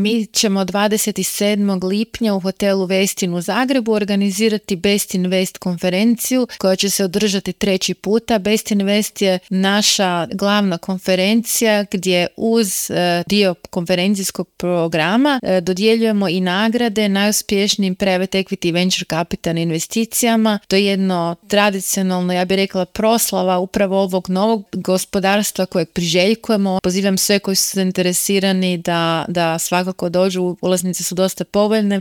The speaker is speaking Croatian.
Mi ćemo 27. lipnja u hotelu Westin u Zagrebu organizirati Best Invest konferenciju koja će se održati 3. puta. Best Invest je naša glavna konferencija gdje uz dio konferencijskog programa dodjeljujemo i nagrade najuspješnijim private equity venture capital investicijama. To je jedno tradicionalno, ja bih rekla, proslava upravo ovog novog gospodarstva kojeg priželjkujemo. Pozivam sve koji su zainteresirani da svakako dođu, ulaznice su dosta povoljne,